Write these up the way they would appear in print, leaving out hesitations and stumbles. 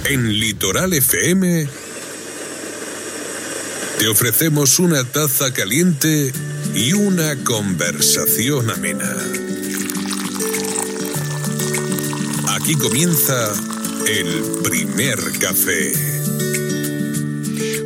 En Litoral FM te ofrecemos una taza caliente y una conversación amena. Aquí comienza el primer café.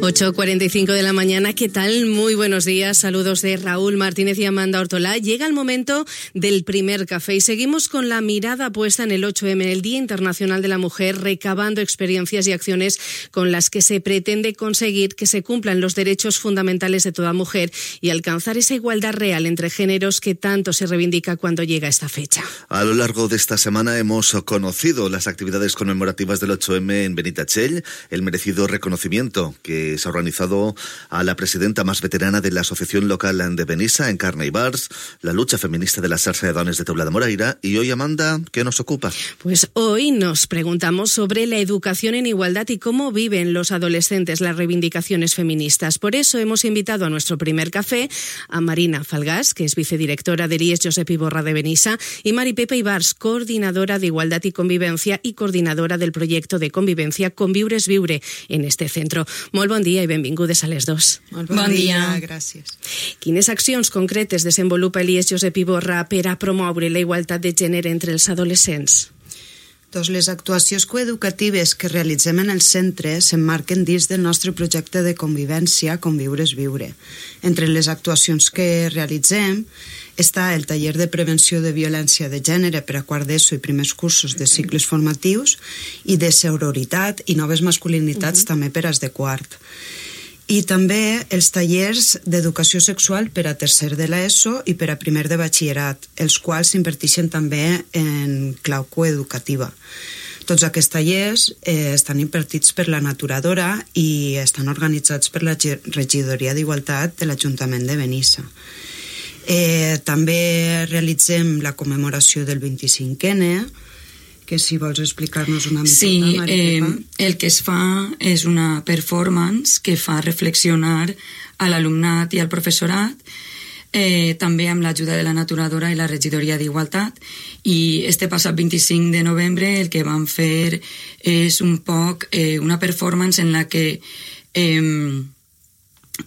8:45 de la mañana, ¿qué tal? Muy buenos días, saludos de Raúl Martínez y Amanda Ortolá. Llega el momento del primer café y seguimos con la mirada puesta en el 8M, el Día Internacional de la Mujer, recabando experiencias y acciones con las que se pretende conseguir que se cumplan los derechos fundamentales de toda mujer y alcanzar esa igualdad real entre géneros que tanto se reivindica cuando llega esta fecha. A lo largo de esta semana hemos conocido las actividades conmemorativas del 8M en Benitatxell, el merecido reconocimiento que se ha organizado a la presidenta más veterana de la Asociación Local de Benissa, Encarna Ibars, la lucha feminista de la Xarxa de Dones de Teula de Moraira. Y hoy, Amanda, ¿qué nos ocupa? Pues hoy nos preguntamos sobre la educación en igualdad y cómo viven los adolescentes las reivindicaciones feministas. Por eso hemos invitado a nuestro primer café a Marina Falgás, que es vicedirectora de IES Josep Iborra de Benissa, y Mari Pepa Ibars, coordinadora de Igualdad y Convivencia y coordinadora del proyecto de convivencia Conviure és Viure en este centro. Molt bon dia i benvingudes a les dos. Bon dia, gràcies. Quines accions concretes desenvolupa l'IES Josep Iborra per a promoure la igualtat de gènere entre els adolescents? Doncs les actuacions coeducatives que realitzem en el centre s'emmarquen dins del nostre projecte de convivència Conviure és Viure. Entre les actuacions que realitzem està el taller de prevenció de violència de gènere per a quart d'ESO i primers cursos de cicles formatius i de sororitat i noves masculinitats també per als de quart. I també els tallers d'educació sexual per a tercer de l'ESO i per a primer de batxillerat, els quals s'imparteixen també en clau coeducativa. Tots aquests tallers estan impartits per la Naturadora i estan organitzats per la Regidoria d'Igualtat de l'Ajuntament de Benissa. També realitzem la commemoració del 25N, que si vols explicar-nos una mica. Sí, el que es fa és una performance que fa reflexionar a l'alumnat i al professorat, també amb l'ajuda de la Naturadora i la Regidoria d'Igualtat, i este passat 25 de novembre el que vam fer és un poc una performance en la que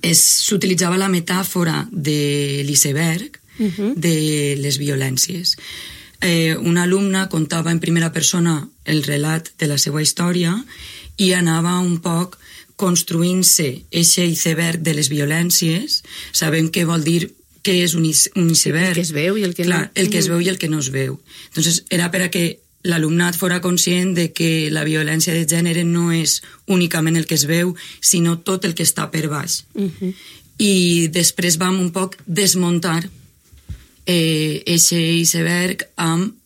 s'utilitzava la metàfora de l'iceberg de les violències. Una alumna contava en primera persona el relat de la seva història i anava un poc construint-se aquest iceberg de les violències, sabent què vol dir, què és un iceberg. El que es veu i el que no. Clar, el que es veu i el que no es veu. Entonces, era per a que l'alumnat fora conscient de que la violència de gènere no és únicament el que es veu, sinó tot el que està per baix. I després vam un poc desmuntar aquest iceberg amb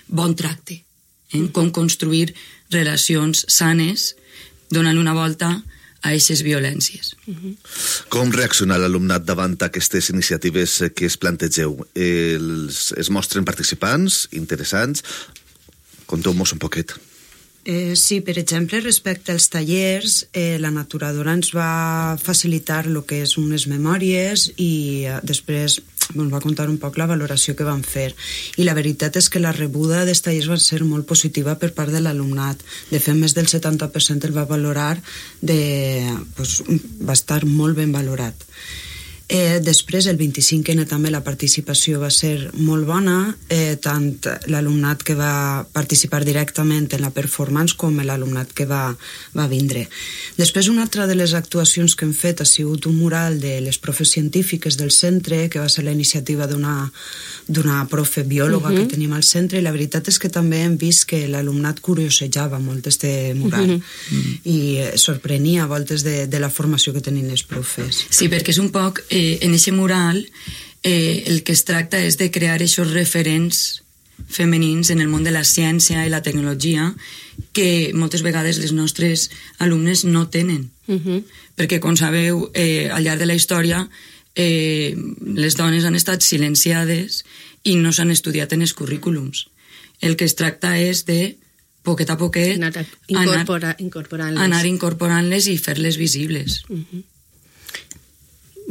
bon tracte, com construir relacions sanes donant una volta a aquestes violències. Com reacciona l'alumnat davant aquestes iniciatives que es plantegeu? Es mostren participants, interessants? Conteu-nos un poquet. Sí, per exemple, respecte als tallers, la Naturadora ens va facilitar el que és unes memòries i després ens va contar un poc la valoració que van fer. I la veritat és que la rebuda dels tallers va ser molt positiva per part de l'alumnat. De fet, més del 70% el va valorar, va estar molt ben valorat. Després, el 25N també la participació va ser molt bona, tant l'alumnat que va participar directament en la performance com l'alumnat que va vindre. Després, una altra de les actuacions que hem fet ha sigut un mural de les profes científiques del centre, que va ser la iniciativa d'una profe biòloga que tenim al centre, i la veritat és que també hem vist que l'alumnat curiosejava molt este mural i sorprenia a voltes de la formació que tenien les profes. Sí, perquè és un poc en aquest mural el que es tracta és de crear aquests referents femenins en el món de la ciència i la tecnologia que moltes vegades les nostres alumnes no tenen. Perquè, com sabeu, al llarg de la història les dones han estat silenciades i no s'han estudiat en els currículums. El que es tracta és de, poquet a poquet, anar incorporant-les i fer-les visibles.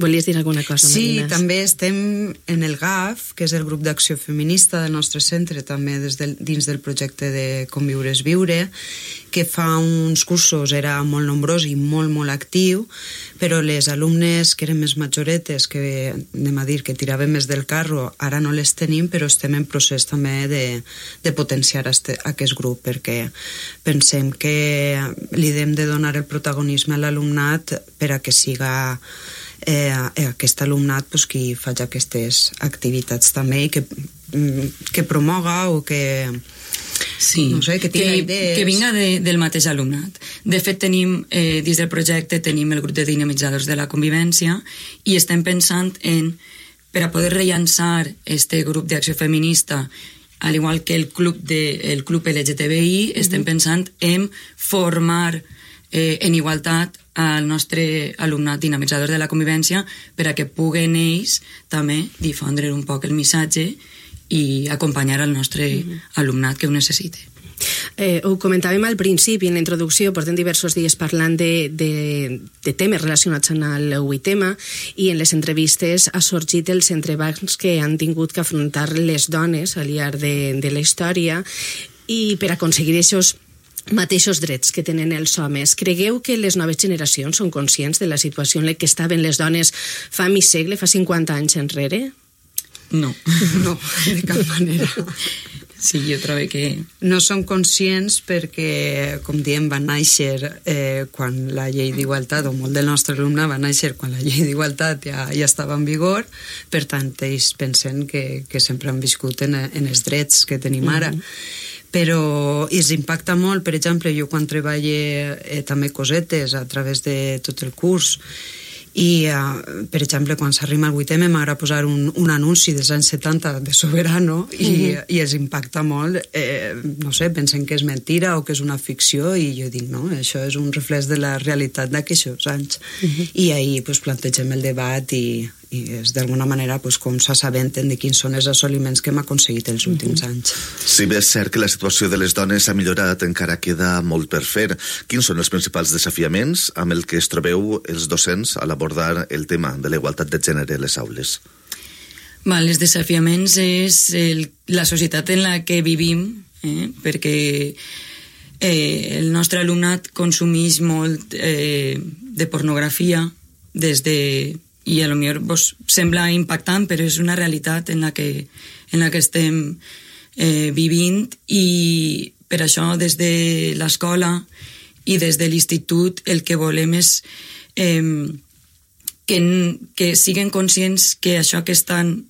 Volies dir alguna cosa, Marina? Sí, també estem en el GAF, que és el grup d'acció feminista del nostre centre, també dins del projecte de Conviure és Viure, que fa uns cursos era molt nombrós i molt, molt actiu, però les alumnes que eren més majoretes, que anem a dir que tiraven més del carro, ara no les tenim, però estem en procés també de potenciar aquest grup, perquè pensem que li hem de donar el protagonisme a l'alumnat per a que siga aquest alumnat qui faig aquestes activitats també i que promoga o que... Sí, no sé, que vinga del mateix alumnat. De fet, tenim, dins del projecte, tenim el grup de dinamitzadors de la convivència i estem pensant en, per a poder rellançar este grup d'acció feminista, al igual que el club LGTBI, estem pensant en formar en igualtat al nostre alumnat dinamitzador de la convivència per a que puguen ells també difondre un poc el missatge i acompanyar el nostre alumnat que ho necessite. Ho comentàvem al principi, en la introducció, portem diversos dies parlant de temes relacionats amb el 8M i en les entrevistes ha sorgit els entrebancs que han tingut que afrontar les dones al llarg de la història i per aconseguir aquests mateixos drets que tenen els homes. Cregueu que les noves generacions són conscients de la situació en la que estaven les dones fa mig segle, fa 50 anys enrere? No. No, de cap manera. Sí, jo trobo que... No són conscients perquè, com diem, van néixer quan la llei d'igualtat, o molt del nostre alumne va néixer quan la llei d'igualtat ja estava en vigor, per tant, ells pensen que sempre han viscut en els drets que tenim ara. Però els impacta molt, per exemple, jo quan treballo també cosetes a través de tot el curs i, per exemple, quan s'arriba al 8M m'agrada posar un anunci dels anys 70 de Soberano i els impacta molt, no sé, pensen que és mentira o que és una ficció i jo dic, no, això és un reflex de la realitat d'aquests anys. I ahir plantegem el debat i és d'alguna manera com s'assabenten de quins són els assoliments que hem aconseguit els últims anys. Si bé és cert que la situació de les dones ha millorat, encara queda molt per fer. Quins són els principals desafiaments amb el que es trobeu els docents a l'abordar el tema de la igualtat de gènere a les aules? Els desafiaments és la societat en la que vivim, perquè el nostre alumnat consumeix molt de pornografia des de... i a lo millor sembla impactant, però és una realitat en la que estem vivint i per això des de l'escola i des de l'institut el que volem és que siguen conscients que això que estan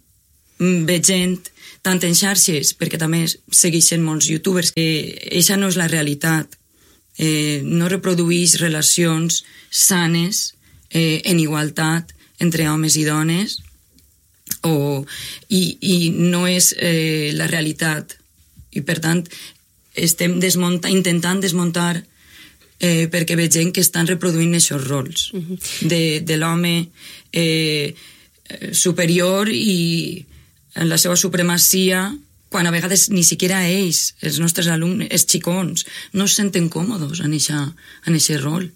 veient tant en xarxes, perquè també segueixen molts youtubers, que això no és la realitat, no reprodueix relacions sanes en igualtat entre homes i dones i no és la realitat i per tant estem intentant desmuntar perquè vegem que estan reproduint aquests rols de l'home superior i en la seva supremacia quan a vegades ni siquiera ells, els nostres alumnes, els xicons, no es senten còmodes en aquest rol.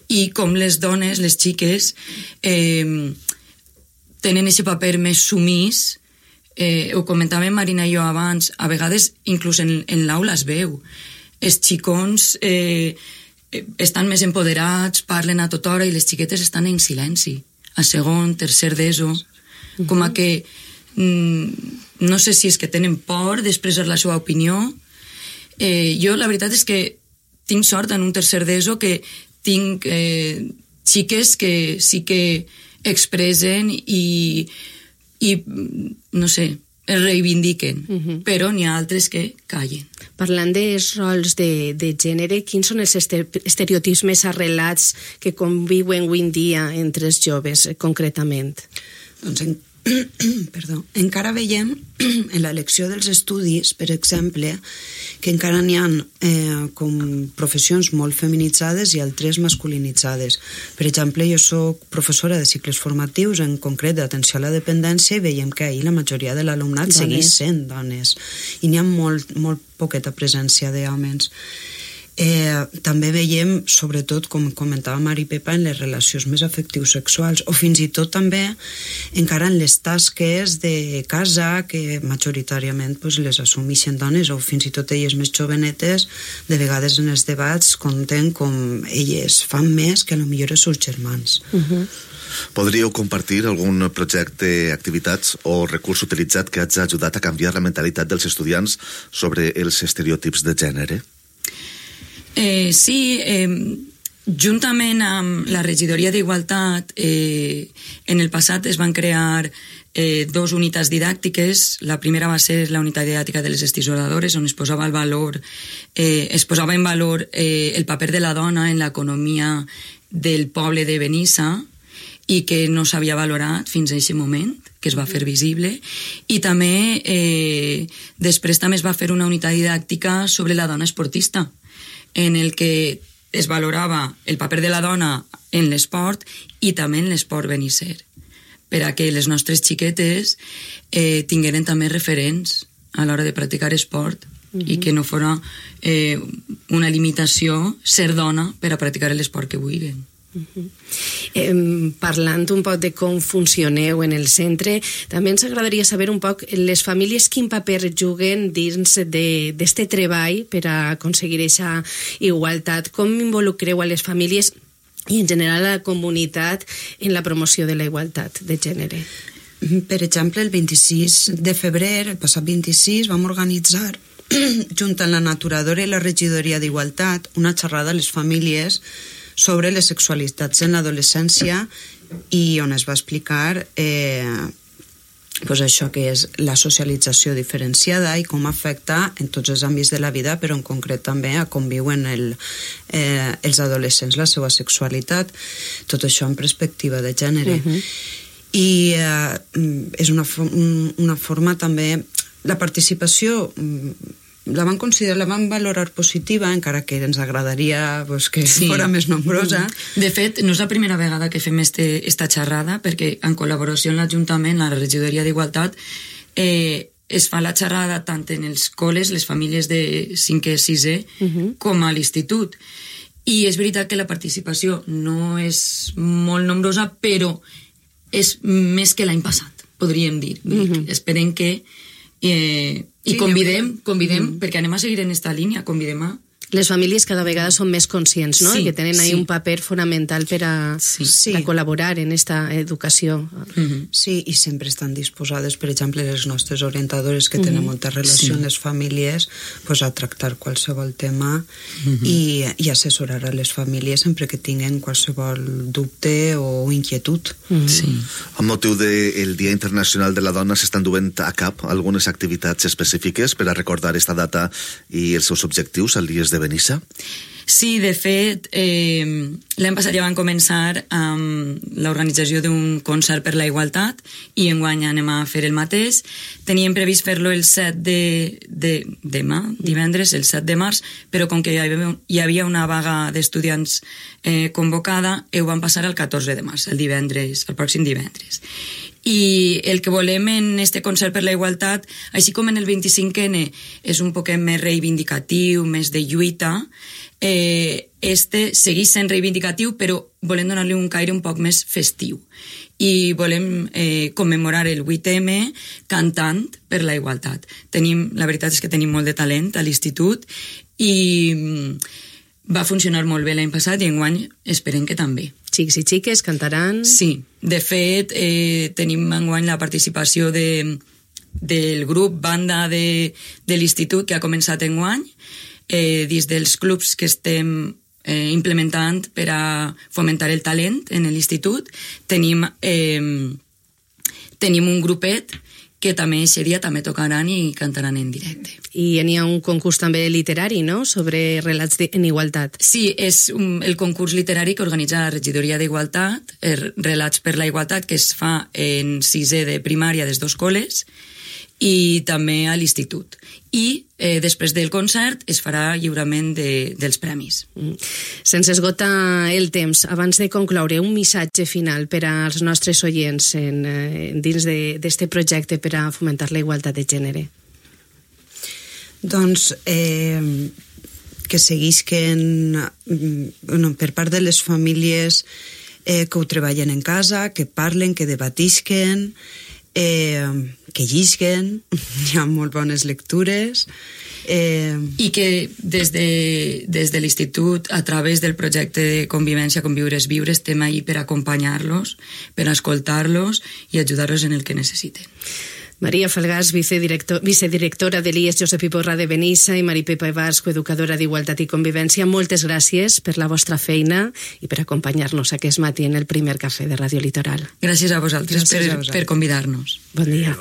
I com les dones, les xiques, tenen aquest paper més sumís, ho comentàvem Marina i jo abans, a vegades inclús en l'aula es veu. Els xicons estan més empoderats, parlen a tota hora i les xiquetes estan en silenci, a segon, tercer d'ESO, com a que no sé si és que tenen por d'expressar la seva opinió. Jo la veritat és que tinc sort en un tercer d'ESO que tinc xiques que sí que expressen i no sé, es reivindiquen, però n'hi ha altres que callen. Parlant dels rols de gènere, quins són els estereotips més arrelats que conviuen avui en dia entre els joves, concretament? Doncs encara veiem en l'elecció dels estudis, per exemple, que encara n'hi ha com professions molt feminitzades i altres masculinitzades. Per exemple, jo soc professora de cicles formatius, en concret d'atenció a la dependència, i veiem que ahir la majoria de l'alumnat segueix sent dones i n'hi ha molt poqueta presència d'homes. També veiem, sobretot, com comentava Mari Pepa, en les relacions més afectives sexuals, o fins i tot també encara en les tasques de casa, que majoritàriament les assumeixen dones, o fins i tot elles més jovenetes, de vegades en els debats conten com elles fan més que potser els seus germans. Podríeu compartir algun projecte, activitats o recurs utilitzat que hagi ajudat a canviar la mentalitat dels estudiants sobre els estereotips de gènere? Sí, juntament amb la regidoria d'Igualtat, en el passat es van crear 2 unitats didàctiques. La primera va ser la unitat didàctica de les estisoladores, on es posava en valor el paper de la dona en l'economia del poble de Benissa, i que no s'havia valorat fins a aquest moment, que es va fer visible. I també, després també es va fer una unitat didàctica sobre la dona esportista, en el que es valorava el paper de la dona en l'esport i també en l'esport benisser, per a que les nostres xiquetes tingueren també referents a l'hora de practicar esport i que no fos una limitació ser dona per a practicar l'esport que vulguin. Parlant un poc de com funcioneu en el centre, també ens agradaria saber un poc les famílies quin paper juguen dins d'este treball per a aconseguir aquesta igualtat. Com involucreu a les famílies i en general a la comunitat en la promoció de la igualtat de gènere? Per exemple, el 26 de febrer, el passat 26, vam organitzar junt amb la Naturadora i la Regidoria d'Igualtat una xerrada a les famílies sobre les sexualitats en l'adolescència, i on es va explicar això que és la socialització diferenciada i com afecta en tots els àmbits de la vida, però en concret també a com viuen els adolescents la seva sexualitat, tot això en perspectiva de gènere. I és una forma també, la participació la van valorar positiva, encara que ens agradaria que fos més nombrosa. De fet, no és la primera vegada que fem esta xerrada, perquè en col·laboració amb l'Ajuntament, la Regidoria d'Igualtat, es fa la xerrada tant en els col·les, les famílies de 5è, 6è, com a l'institut. I és veritat que la participació no és molt nombrosa, però és més que l'any passat, podríem dir. Esperem que i convidem, perquè anem a seguir en esta línia, convidem a... Les famílies cada vegada són més conscients, no? Que tenen ahí un paper fonamental per a col·laborar en esta educació. Sí, i sempre estan disposades, per exemple, les nostres orientadores que tenen molta relació amb les famílies, a tractar qualsevol tema i assessorar a les famílies sempre que tinguen qualsevol dubte o inquietud. Amb motiu del Dia Internacional de la Dona s'estan duent a cap algunes activitats específiques per a recordar esta data i els seus objectius al Dies de Benissa? Sí, de fet, l'any passat ja van començar amb l'organització d'un concert per la igualtat i enguany anem a fer el mateix. Teníem previst fer-lo el 7 demà, divendres, el 7 de març, però com que hi havia una vaga d'estudiants convocada, ho van passar al 14 de març, el pròxim divendres. I el que volem en este concert per la igualtat, així com en el 25N és un poquet més reivindicatiu, més de lluita, segueix sent reivindicatiu, però volem donar-li un caire un poc més festiu. I volem commemorar el 8M cantant per la igualtat. La veritat és que tenim molt de talent a l'institut i va funcionar molt bé l'any passat i enguany esperem que també. Xics i xiques cantaran... Sí, de fet tenim enguany la participació del grup banda de l'institut que ha començat enguany, dins dels clubs que estem implementant per a fomentar el talent en l'institut. Tenim un grupet que també aquest dia també tocaran i cantaran en directe. I n'hi ha un concurs també literari, no?, sobre relats en igualtat. Sí, és el concurs literari que organitza la Regidoria d'Igualtat, Relats per la Igualtat, que es fa en 6è de primària des dos col·les i també a l'institut. I després del concert es farà lliurament dels premis. Sense esgotar el temps, abans de concloure, un missatge final per als nostres oients dins d'este projecte per a fomentar la igualtat de gènere. Doncs que seguisquen per part de les famílies que ho treballen en casa, que parlen, que debatisquen, que llisguen, hi ha molt bones lectures. I que des de l'Institut, a través del projecte de convivència Conviure és Viure, estem ahí per acompanyar-los, per escoltar-los i ajudar-los en el que necessiten. Maria Falgàs, vicedirectora de l'IES Josep Iborra de Benissa, i Mari Pepa Evars, coeducadora d'Igualtat i Convivència, moltes gràcies per la vostra feina i per acompanyar-nos aquest matí en el primer cafè de Ràdio Litoral. Gràcies a vosaltres per convidar-nos. Bon dia.